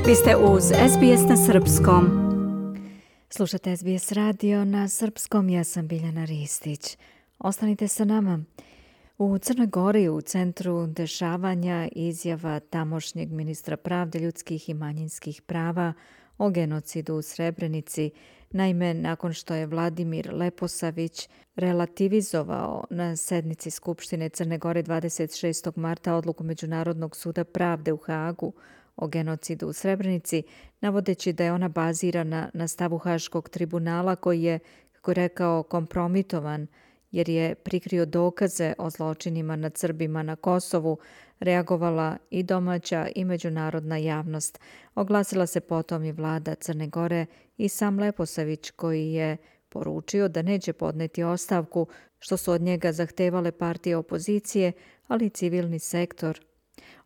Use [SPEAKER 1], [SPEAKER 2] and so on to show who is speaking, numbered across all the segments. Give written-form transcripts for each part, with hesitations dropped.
[SPEAKER 1] Vi ste uz SBS na srpskom. Slušate SBS radio na srpskom, ja sam Biljana Ristić. Ostanite sa nama. U Crnoj Gori u centru dešavanja izjava tamošnjeg ministra pravde, ljudskih i manjinskih prava o genocidu u Srebrenici. Naime, nakon što je Vladimir Leposavić relativizovao na sednici Skupštine Crne Gore 26. marta odluku Međunarodnog suda pravde u Hagu o genocidu u Srebrenici, navodeći da je ona bazirana na stavu Haškog tribunala koji je, kako je rekao, kompromitovan jer je prikrio dokaze o zločinima nad Srbima na Kosovu, reagovala i domaća i međunarodna javnost. Oglasila se potom i vlada Crne Gore i sam Leposavić koji je poručio da neće podneti ostavku, što su od njega zahtevale partije opozicije, ali i civilni sektor.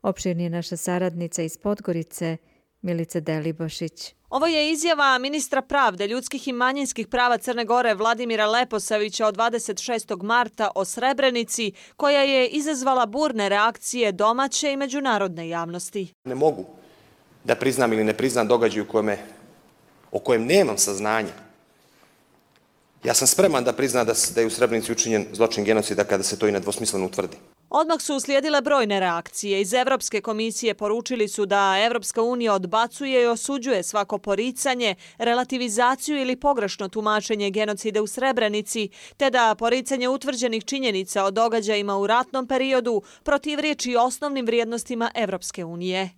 [SPEAKER 1] Opširnije naša saradnica iz Podgorice, Milica Delibašić.
[SPEAKER 2] Ovo je izjava ministra pravde, ljudskih i manjinskih prava Crne Gore Vladimira Leposavića od 26. marta o Srebrenici, koja je izazvala burne reakcije domaće i međunarodne javnosti.
[SPEAKER 3] Ne mogu da priznam ili ne priznam događaj o kojem nemam saznanja. Ja sam spreman da priznam da je u Srebrenici učinjen zločin genocida kada se to i nedvosmisleno utvrdi.
[SPEAKER 2] Odmah su uslijedile brojne reakcije. Iz Evropske komisije poručili su da Evropska unija odbacuje i osuđuje svako poricanje, relativizaciju ili pogrešno tumačenje genocida u Srebrenici, te da poricanje utvrđenih činjenica o događajima u ratnom periodu protivriječi osnovnim vrijednostima Evropske unije.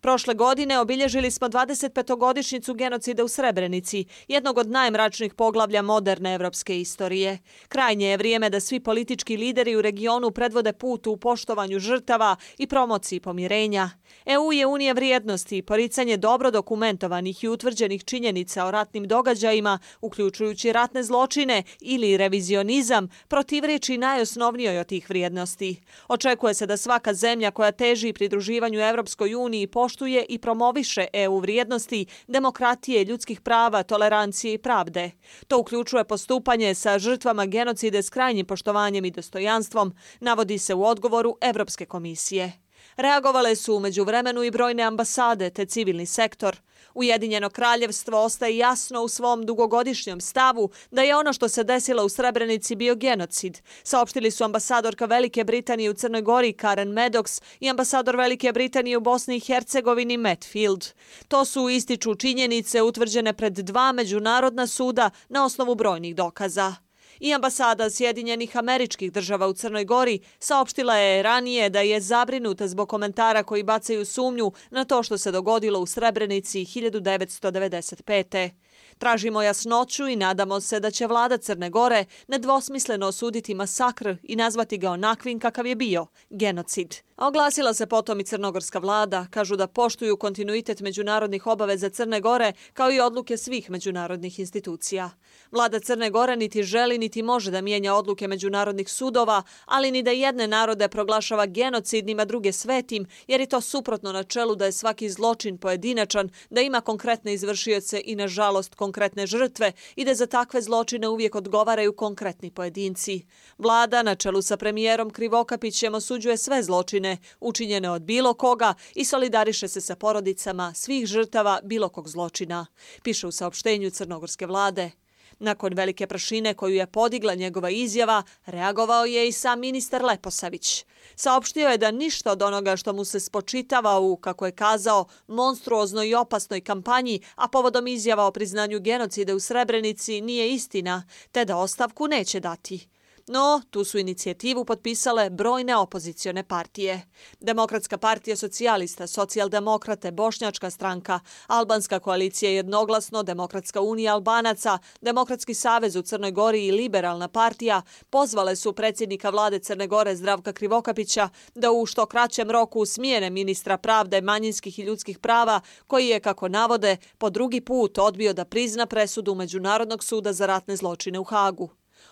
[SPEAKER 2] Prošle godine obilježili smo 25-godišnjicu genocida u Srebrenici, jednog od najmračnijih poglavlja moderne evropske istorije. Krajnje je vrijeme da svi politički lideri u regionu predvode put u poštovanju žrtava i promociji pomirenja. EU je unija vrijednosti, poricanje dobro dokumentovanih i utvrđenih činjenica o ratnim događajima, uključujući ratne zločine ili revizionizam, protivriječi najosnovnijoj od tih vrijednosti. Očekuje se da svaka zemlja koja teži pridruživanju Evropskoj uniji poštuje i promoviše EU vrijednosti, demokratije, ljudskih prava, tolerancije i pravde. To uključuje postupanje sa žrtvama genocide s krajnjim poštovanjem i dostojanstvom, navodi se u odgovoru Evropske komisije. Reagovale su u međuvremenu i brojne ambasade te civilni sektor. Ujedinjeno kraljevstvo ostaje jasno u svom dugogodišnjem stavu da je ono što se desilo u Srebrenici bio genocid, saopštili su ambasadorka Velike Britanije u Crnoj Gori Karen Maddox i ambasador Velike Britanije u Bosni i Hercegovini Matt Field. To su ističu činjenice utvrđene pred dva međunarodna suda na osnovu brojnih dokaza. I ambasada Sjedinjenih Američkih Država u Crnoj Gori saopštila je ranije da je zabrinuta zbog komentara koji bacaju sumnju na to što se dogodilo u Srebrenici 1995. Tražimo jasnoću i nadamo se da će vlada Crne Gore nedvosmisleno osuditi masakr i nazvati ga onakvim kakav je bio, genocid. A oglasila se potom i crnogorska vlada, kažu da poštuju kontinuitet međunarodnih obaveza Crne Gore kao i odluke svih međunarodnih institucija. Vlada Crne Gore niti želi niti može da mijenja odluke međunarodnih sudova, ali ni da jedne narode proglašava genocidnim, a druge svetim, jer je to suprotno načelu da je svaki zločin pojedinačan, da ima konkretne izvršioce i nažalost konkretne žrtve i da za takve zločine uvijek odgovaraju konkretni pojedinci. Vlada na čelu sa premijerom Krivokapićem osuđuje sve zločine učinjene od bilo koga i solidariše se sa porodicama svih žrtava bilo kog zločina, piše u saopštenju crnogorske vlade. Nakon velike prašine koju je podigla njegova izjava, reagovao je i sam ministar Leposavić. Saopštio je da ništa od onoga što mu se spočitava u, kako je kazao, monstruoznoj i opasnoj kampanji, a povodom izjava o priznanju genocida u Srebrenici nije istina, te da ostavku neće dati. No, tu su inicijativu potpisale brojne opozicione partije. Demokratska partija socijalista, socijaldemokrate, Bošnjačka stranka, Albanska koalicija jednoglasno, Demokratska unija Albanaca, Demokratski savez u Crnoj Gori i Liberalna partija pozvale su predsjednika vlade Crne Gore Zdravka Krivokapića da u što kraćem roku smijene ministra pravde, manjinskih i ljudskih prava, koji je, kako navode, po drugi put odbio da prizna presudu Međunarodnog suda za ratne zločine u Hagu.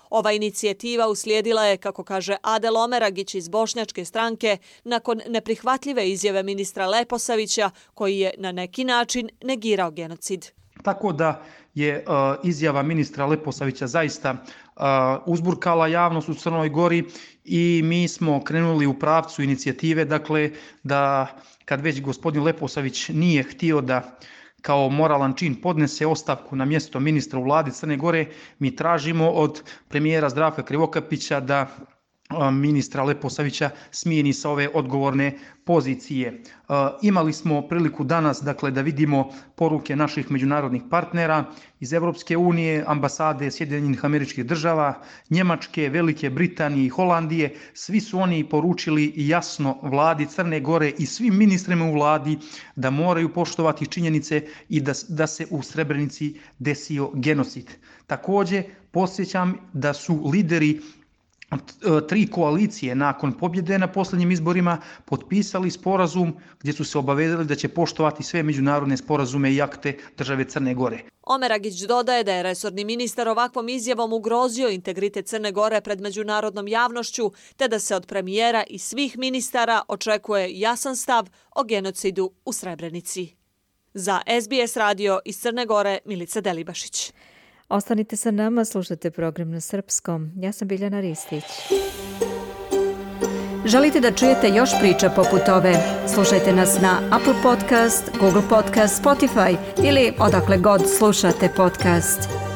[SPEAKER 2] Ova inicijativa uslijedila je, kako kaže Adel Omeragić iz Bošnjačke stranke, nakon neprihvatljive izjave ministra Leposavića, koji je na neki način negirao genocid.
[SPEAKER 4] Tako da je izjava ministra Leposavića zaista uzburkala javnost u Crnoj Gori i mi smo krenuli u pravcu inicijative, dakle da kad već gospodin Leposavić nije htio da kao moralan čin podnese ostavku na mjesto ministra u vladi Crne Gore, mi tražimo od premijera Zdravka Krivokapića da ministra Leposavića smijeni sa ove odgovorne pozicije. Imali smo priliku danas dakle, da vidimo poruke naših međunarodnih partnera iz Europske unije, ambasade Sjedinjenih Američkih Država, Njemačke, Velike Britanije i Holandije. Svi su oni poručili jasno vladi Crne Gore i svim ministrima u vladi da moraju poštovati činjenice i da se u Srebrenici desio genocid. Također podsjećam da su lideri 3 koalicije nakon pobjede na posljednjim izborima potpisali sporazum gdje su se obavezali da će poštovati sve međunarodne sporazume i akte države Crne Gore.
[SPEAKER 2] Omer Agić dodaje da je resorni ministar ovakvom izjavom ugrozio integritet Crne Gore pred međunarodnom javnošću, te da se od premijera i svih ministara očekuje jasan stav o genocidu u Srebrenici. Za SBS radio iz Crne Gore, Milica Delibašić.
[SPEAKER 1] Ostanite sa nama, slušajte program na srpskom. Ja sam Biljana Ristić. Želite da čujete još priča poput ove? Slušajte nas na Apple Podcast, Google Podcast, Spotify ili odakle god slušate podcast.